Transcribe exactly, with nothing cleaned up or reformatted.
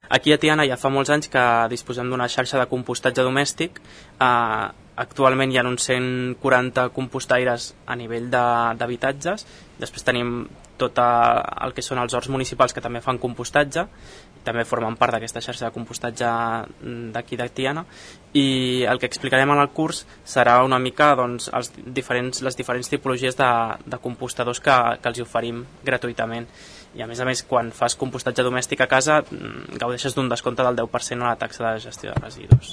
Aquí a Tiana ja fa molts anys que disposem d'una xarxa de compostatge domèstic. Eh, actualment hi ha uns cent quaranta compostaires a nivell d'habitatges. Després tenim tot el que són els horts municipals que també fan compostatge, també formen part d'aquesta xarxa de compostatge d'aquí de Tiana, i el que explicarem en el curs serà una mica doncs, els diferents, les diferents tipologies de, de compostadors que, que els oferim gratuïtament. I a més a més, quan fas compostatge domèstic a casa, gaudeixes d'un descompte del deu per cent a la taxa de gestió de residus.